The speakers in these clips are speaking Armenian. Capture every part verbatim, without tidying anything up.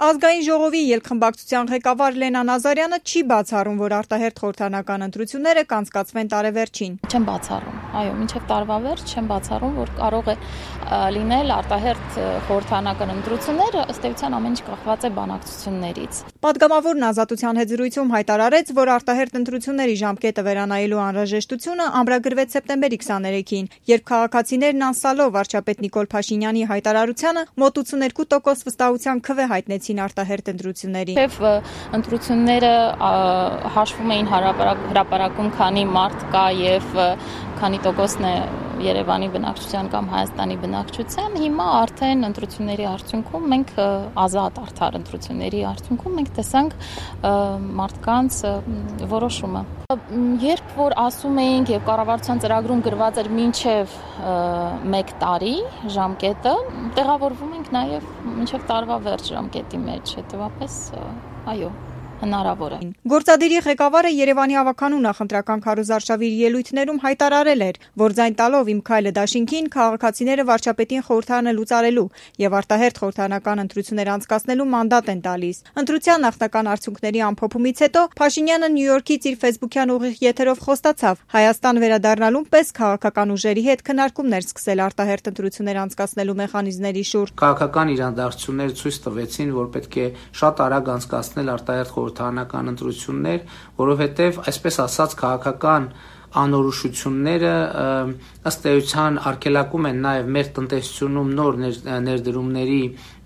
Ազգային ժողովի ելքխմբակցության ղեկավար Լենա Նազարյանը չի բացառում, որ արտահերթ խորհրդարանական ընտրությունները կանցկացվեն տարեվերջին։ Չեմ բացառում, այո, մինչև տարվա վերջ չեմ բացառում, որ կարող է լինել արտահերթ խորհրդարանական ընտրությունները, ըստ էության ամեն ինչ կախված է բանակցություններից։ Պատգամավորն Ազատության հետ զրույցում հայտարարեց, որ արտահերթ ընտրությունների ժամկետը վերանայելու անհրաժեշտությունը ամրագրվեց սեպտեմբերի քսաներեքին, երբ քաղաքացիներն անսալով վարչապետ Նիկոլ Փաշինյանի հայտարարությանը մոտ ութսուներկու տոկոս վստահության քվե հայտնեցին արտահերթ ընտրությունների։ Եվ ընտրությունները հաշվում էին հրապարակում, քանի մարդ կա եւ քանի տոկոսն է Երևանի բնակչության կամ Հայաստանի բնակչության, հիմա արդեն ընտրությունների արդյունքում մենք ազատ արդար ընտրությունների արդյունքում մենք տեսանք մարդկանց որոշումը։ Երբ որ ասում էինք եւ կառավարության ծրագրում գրված էր մինչեւ մեկ տարի ժամկետը, տեղավորվում ենք նաեւ մինչեւ տարվա վերջ ժամկետի մեջ, հետեւաբար այո, հնարավոր է։ Գործադիրի ղեկավարը Երևանի ավականու նախընտրական քարոզարշավի ելույթներում հայտարարել էր, որ ձայն տալով իմ քայլը դաշինքին քաղաքացիները վարչապետին խորհրդարանը լուծարելու եւ արտահերթ խորհրդարանական ընտրություններ անցկացնելու մանդատ են տալիս։ Ընտրության նախնական արդյունքների ամփոփումից հետո Փաշինյանը Նյու Յորքից իր ֆեյսբուքյան ուղիղ եթերով խոստացավ Հայաստան վերադառնալուն պես քաղաքական ուժերի հետ քննարկումներ սկսել արտահերթ ընտրություններ անցկացնելու մեխանիզմների շուրջ։ Քաղաքական իրադարձությունները ցույց տվեցին, որ պետք է շատ արագ անցկացնել արտահերթ խորհրդարանական ընտրություններ, որովհետև այսպես ասած քաղաքական անորոշությունները ըստ էության արգելակում են նաև մեր տնտեսությունում նոր ներդրումների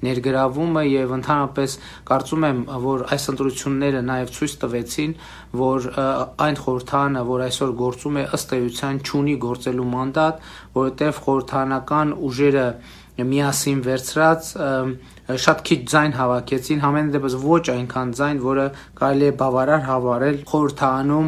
ներգրավումը եւ ընդհանրապես կարծում եմ, որ այս ընտրությունները նաև ցույց տվեցին, որ այն խորհրդարանը, որ այսօր գործում է, ըստ էության չունի գործելու մանդատ, որովհետև խորհրդարանական ուժերը միասին վերցրած շատ քիչ ձայն հավաքեցին, համենայն դեպս ոչ այնքան ձայն, որը կարելի է բավարար հավարել խորհրդարանում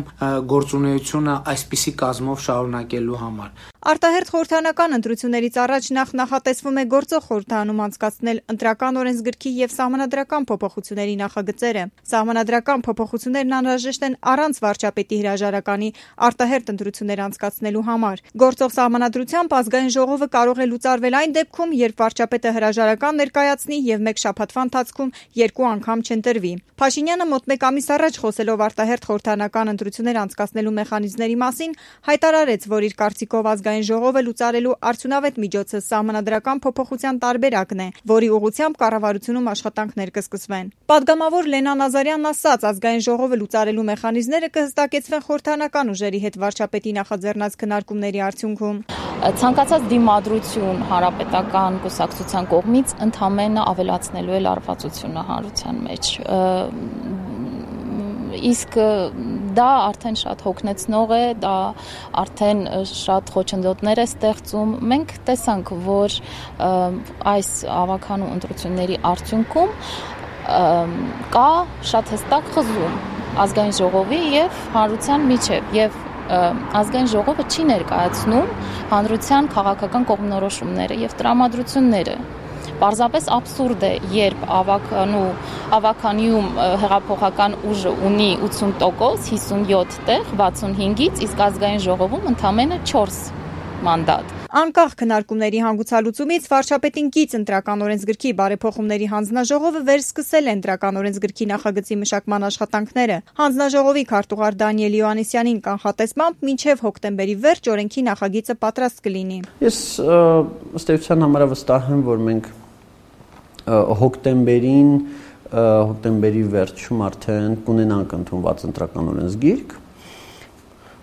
գործունեությունը այսպիսի կազմով շարունակելու համար։ Արտահերթ խորհրդարանական ընտրություններից առաջ նախ նախատեսվում է գործող խորհրդարանում անցկացնել ընտրական օրենսգրքի եւ սահմանադրական փոփոխությունների նախագծերը։ Սահմանադրական փոփոխություններն անհրաժեշտ են առանց վարչապետի հրաժարականի արտահերթ ընտրություններ անցկացնելու համար։ Գործող սահմանադրությամբ ազգային ժողովը կարող է լուծարվել այն դեպքում, երբ վարչապետը հրաժարական ներկայացնի եւ մեկ շաբաթվա ընթացքում երկու անգամ չընտրվի։ Փաշինյանը մոտ մեկ ամիս առաջ խոսելով արտահերթ խորհրդարանական ընտրություններ անցկացնելու մեխանիզմների մասին հայտարարեց, որ իր կարծիքով ազգային ժողովը լուծարելու արդյունավետ միջոցը սահմանադրական փոփոխության տարբերակն է, որի ուղղությամբ կառավարությունում աշխատանքներ կսկսվեն։ Պատգամավոր Լենա Նազարյանն ասաց, ազգային ժողովը լուծարելու մեխանիզմները կհստակեցվեն խորհրդարանական ուժերի հետ վարչապետի նախաձեռնած քննարկումների արդյունքում։ Ցանկացած դիմադրություն հանրապետական կուսակցության կողմից ընդհանրապես ավելացնելու է լարվածությունը հանրության մեջ։ Իսկ դա արդեն շատ հոգնեցնող է, դա արդեն շատ խոչընդոտներ է ստեղծում։ Մենք տեսանք, որ այս ավականու ընտրությունների արդյունքում կա շատ հստակ խզում ազգային ժողովի եւ հանրության միջեւ եւ ազգային ժողովը չի ներկայացնում հանրության քաղաքական կողմնորոշումները եւ տրամադրությունները։ Պարզապես աբսուրդ է, երբ ավականու ավականիում հեղափոխական ուժը ունի ութսուն տոկոս, հիսունյոթ տեղ, վաթսունհինգից, իսկ ազգային ժողովում ընդամենը չորս մանդատ։ Անկախ քննարկումների հանգուցալուծումից վարչապետին կից ընտրական օրենսգրքի բարեփոխումների հանձնաժողովը վերսկսել է ընտրական օրենսգրքի նախագծի մշակման աշխատանքները։ Հանձնաժողովի քարտուղար Դանիել Յոհաննիսյանին կանխատեսմամբ մինչև հոկտեմբերի վերջ օրենքի նախագիծը պատրաստ կլինի։ Ես ըստ էության համարավստահ եմ, որ մենք հոկտեմբերին, հոկտեմբերի վերջում արդեն կունենանք ընդունված ընտրական օրենսգիրք։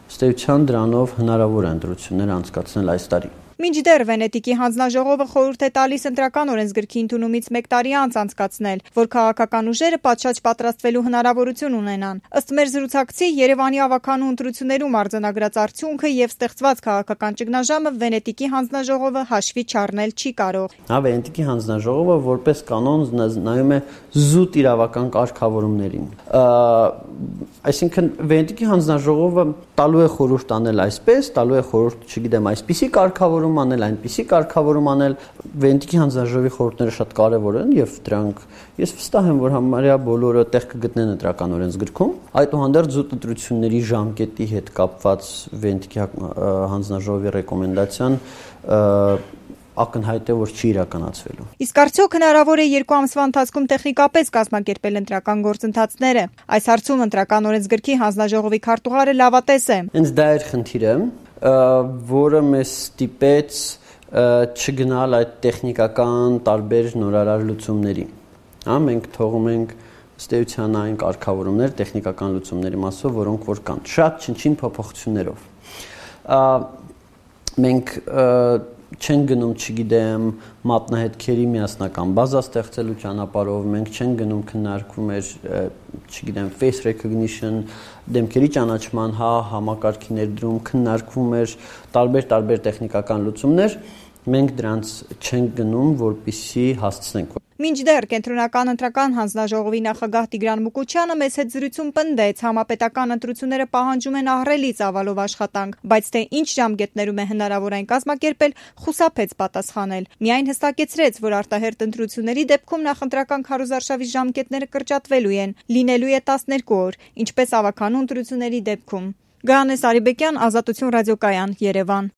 Ըստ էության դրանով հնարավոր է ընտրություններ անցկացնել այս տարի։ Մինչդեռ Վենետիկի հանձնաժողովը խորհուրդ է տալիս ընտրական օրենսգրքի ընդունումից մեկ տարի անց անցկացնել, որ քաղաքական ուժերը պատշաճ պատրաստվելու հնարավորություն ունենան։ Ըստ մեր զրուցակցի, Երևանի ավականու ընտրություններում արձանագրած արդյունքը եւ ստեղծված քաղաքական ճգնաժամը Վենետիկի հանձնաժողովը հաշվի չառնել չի կարող։ Հա, Վենետիկի հանձնաժողովը որպես կանոն նայում է զուտ իրավական կարգավորումներին։ Այսինքն Վենետիկի հանձնաժողովը տալու է խորհուրդ անել այսպես, տալու է խորհուրդ, չգիտեմ, այսպիսի կարգավորում անել, այնպիսի կարգավորում անել։ Վենետիկի հանձնաժողովի խորհուրդները շատ կարևոր են եւ դրանք ես վստահ եմ, որ համարյա բոլորը տեղ կգտնեն ընտրական օրենսգրքում։ Այդուհանդերձ զուտ ընտրությունների ժամկետի հետ կապված Վենետիկի հանձնաժողովի ռեկոմենդացիան ակնհայտ է, որ չի իրականացվելու։ Իսկ արդյոք հնարավոր է երկու ամսվա ընթացքում տեխնիկապես կազմակերպել ընտրական գործընթացները։ Այս հարցում ընտրական օրենսգրքի հանձնաժողովի քարտուղարը լավատես է։ Հենց դա էր խնդիրը, որը մեզ ստիպեց չգնալ այդ տեխնիկական տարբեր նորարար լուծումների։ Հա, մենք թողում ենք ըստ էության այն կարգավորումներ տեխնիկական լուծումների մասով, որոնք որ կան, շատ չնչին փոփոխություններով։ Մենք չենք գնում, չգիտեմ, մատնահետքերի միասնական բազա ստեղծելու ճանապարհով, մենք չենք գնում քննարկում էր, չգիտեմ, face recognition, դեմքերի ճանաչման հա համակարգի ներդրում, քննարկվում էր տարբեր-տարբեր տեխնիկական լուծումներ, մենք դրանց չենք գնում, որպեսզի հասցնենք։ Մինչդեռ կենտրոնական ընտրական հանձնաժողովի նախագահ Տիգրան Մուկուչյանը մեծ հետ զրույցում պնդեց, համապետական ընտրությունները պահանջում են ահռելի ծավալով աշխատանք, բայց թե ինչ ժամկետներում է հնարավոր այն կազմակերպել, խուսափեց պատասխանել։ Միայն հստակեցրեց, որ արտահերթ ընտրությունների դեպքում նախընտրական քարոզարշավի ժամկետները կրճատվելու են, լինելու է տասներկու օր, ինչպես ավականու ընտրությունների դեպքում։ Գայանե Սարիբեկյան, Ազատություն ռադիոկայան, Երևան։